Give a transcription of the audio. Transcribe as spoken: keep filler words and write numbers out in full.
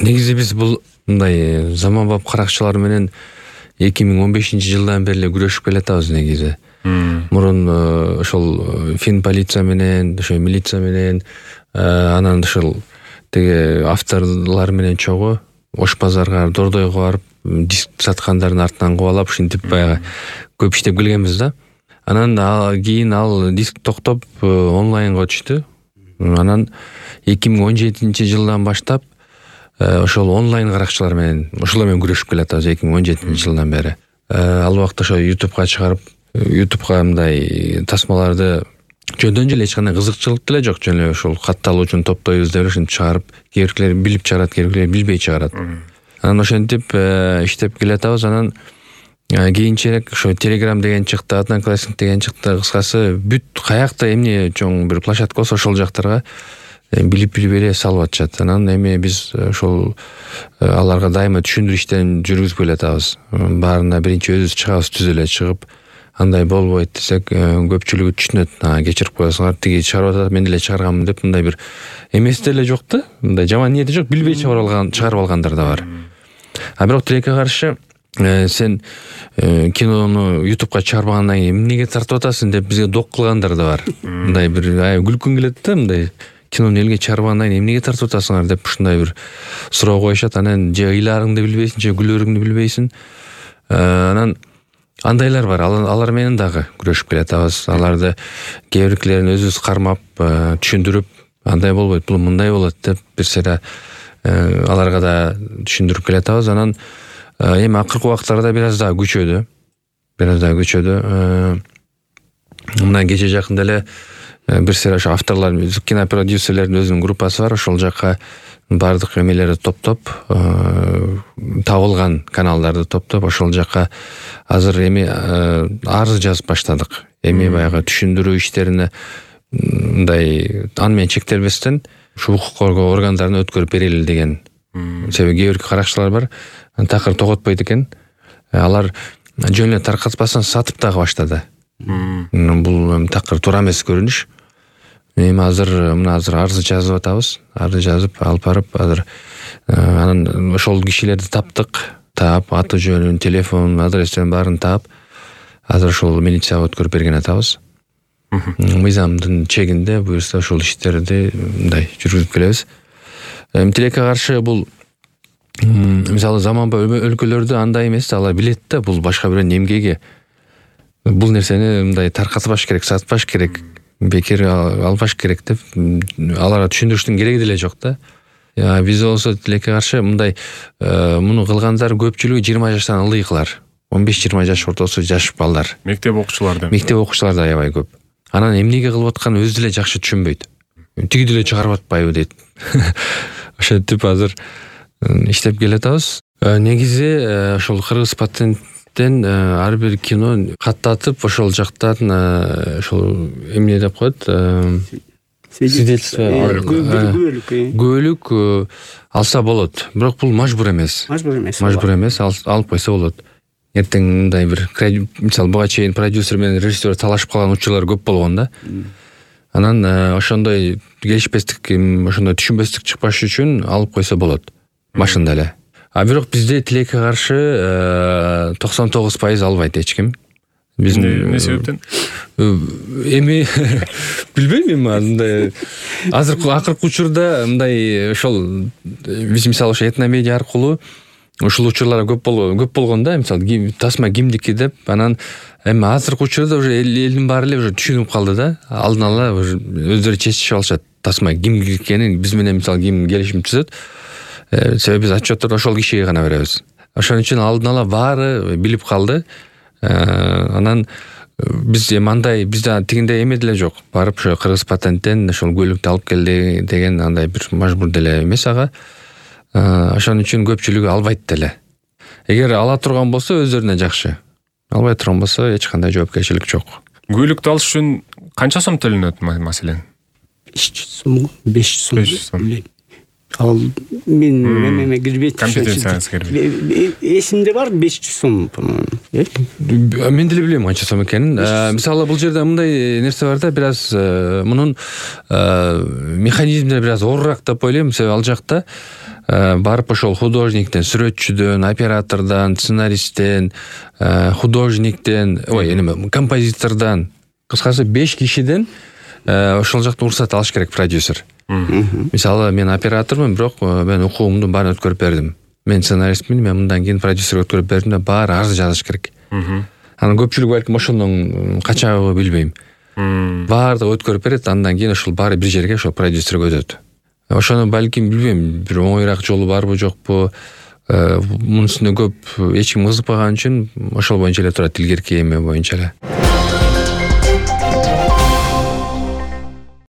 Негизи биз бул мындай заманбап каракчылар менен эки миң он бешинчи жылдан бери эле күрөшүп келатабыз негизи. Мурун ошол фин полиция менен, ошо милиция менен, анан ошол теге авторлор менен чогуу Ош базарга, Дордойго барып диск саткандардын артынан кубалап ушинтип баягы көп иштеп келгенбиз да. Анан кийин ал диск токтоп онлайнга түштү. Анан эки миң он жетинчи жылдан баштап ошол онлайн каракчылар менен ошолор менен күрөшүп келатабыз эки миң он жетинчи жылдан бери. Ал убакта ошо ютубка чыгарып, ютубка мындай тасмаларды жөндөн эле эч кандай кызыкчылык деле жок, жөн эле ошол катталуучун топтойбуз деп ушинтип чыгарып, кээ биркилер билип чыгарат, кээ биркилер билбей чыгарат. Анан ошентип иштеп келатабыз. Анан кийинчерээк ошо Telegram деген чыкты, Одноклассник деген чыкты. Кыскасы бүт каякта эмне чоң бир площадка болсо ошол жактарга билип билбей эле салып атышат. Анан эми биз ошол аларга дайыма түшүндүрүү иштерин жүргүзүп келатабыз. Баарына биринчи өзүбүз чыгабыз, түз эле чыгып, андай болбойт десек, көпчүлүгү түшүнөт. Кечирип коесуңар, тиги чыгарып атат, мен деле чыгарганмын деп, мындай бир эмес деле жок да. Мындай жаман ниети жок, билбей чыгарып алган, чыгарып алгандар да бар. А бирок тилекке каршы сен кинону ютубка чыгарбагандан кийин эмнеге тартып атасың деп бизге док кылгандар да бар. Мындай бир күлкүң келет да, мындай кинону элге чыгарбагандан кийин эмнеге тартып атасыңар деп ушундай бир суроо коюшат. Анан же ыйлаарыңды билбейсиң, же күлөрүңдү билбейсиң. Анан андайлар бар. Алар менен дагы күрөшүп келатабыз. Аларды кээ биркилерин өзүбүз кармап, түшүндүрүп, андай болбойт, бул мындай болот деп бир сыйра аларга да түшүндүрүп келатабыз. Анан эми акыркы убактарда бир аз дагы күчөдү. Бир аз дагы күчөдү. Мына кече жакында эле бир сыйра ошо авторлор, кинопродюсерлердин өзүнүн группасы бар. Ошол жакка бардык эмелерди топтоп, табылган каналдарды топтоп, ошол жакка азыр эми арыз жазып баштадык. Эми баягы түшүндүрүү иштерине мындай аны менен чектелбестен ушу укук коргоо органдарына өткөрүп берели деген. Себеби кээ бир каракчылар бар, такыр тоготпойт экен. Алар жөн эле таркатпастан сатып дагы баштады. Бул такыр туура эмес көрүнүш. Эми азыр мына азыр арыз жазып атабыз. Арыз жазып алып барып, азыр анан ошол кишилерди таптык. Таап, аты жөнүн, телефон, адрестерин баарын таап, азыр ошол милицияга өткөрүп берген атабыз. Мыйзамдын чегинде буюрса ошол иштерди мындай жүргүзүп келебиз. Тилекке каршы бул мисалы заманбап өлкөлөрдө андай эмес, алар билет да, бул башка бирөөнүн эмгеги. Бул нерсени мындай таркатпаш керек, сатпаш керек, бекер албаш керек деп аларга түшүндүрүштүн кереги деле жок да. Биз болсо тилекке каршы мындай муну кылгандар көпчүлүгү жыйырма жаштан ылдыйкылар. он беш жыйырма жаш ортосу жаш балдар. Мектеп окуучулардан. Мектеп окуучулар да аябай көп. Анан эмнеге кылып атканын өзү деле жакшы түшүнбөйт. Тиги деле чыгарып атпайбы дейт. Ошентип азыр иштеп келатабыз. Негизи ошол кыргыз патенттен ар бир кино каттатып, ошол жактан ошол эмне деп коет? Свидетельство, күбөлүк алса болот. Бирок бул мажбур эмес. Мажбур эмес. Мажбур эмес, алып койсо болот. Эртең мындай бир, мисалы буга чейин продюсер менен режиссер талашып калган учурлар көп болгон да. Анан ошондой келишпестик, ошондой түшүнбөстүк чыкпаш үчүн алып койсо болот башында эле. А бирок бизде тилекке каршы токсон тогуз пайыз албайт эч ким. Биздин эмне себептен? Эми билбейм эми андай азыркы акыркы учурда мындай ошол биз мисалы ошо этномедиа аркылуу ушул учурлар көп болгон, көп болгон да, мисалы тасма кимдики деп, анан эми азыркы учурда уже элдин баары эле уже түшүнүп калды да, алдын ала өздөрү чечишип алышат тасма кимдики экенин, биз менен мисалы ким келишим түзөт. Себеби биз отчетторду ошол кишиге гана беребиз. Ошон үчүн алдын ала баары билип калды. Анан биз эми андай бизде тигиндей эме деле жок. Барып ошо кыргыз патенттен ошол көлүктү алып келди деген андай бир мажбур деле эмес ага. Ошон үчүн көпчүлүгү албайт деле. Эгер ала турган болсо өздөрүнө жакшы. Албай турган болсо эч кандай жоопкерчилик жок. Көлүктү алыш үчүн канча сом төлөнөт маселен? беш жүз сом, беш жүз сом. ал мен эме кирбейт. Компетенцияңыз кирбейт. Эсимде бар беш жүз сом, по-моему. Мен деле билбейм канча сом экенин. Мисалы бул жерде мындай нерсе бар да, бир аз мунун механизмдери бир аз оорураак деп ойлойм. Себеби ал жакта барып ошол художниктен, сүрөтчүдөн, оператордон, сценаристтен, художниктен, ой, эме композитордон, кыскасы беш кишиден ошол жакта уруксат алыш керек продюсер. Мисалы мен оператормун, бирок мен окуумдун баарын өткөрүп бердим. Мен сценаристмин, мен мындан кийин продюсерге өткөрүп бердим да баары арыз жазыш керек. Анан көпчүлүк балким ошондон качабы билбейм. Баардыгы өткөрүп берет, андан кийин ошол баары бир жерге ошол продюсерге өтөт. Ошону балким билбейм, бир оңойраак жолу барбы жокпу, мунун үстүнө көп эч ким кызыкпаган үчүн ошол боюнча эле турат, илгерки эме боюнча эле.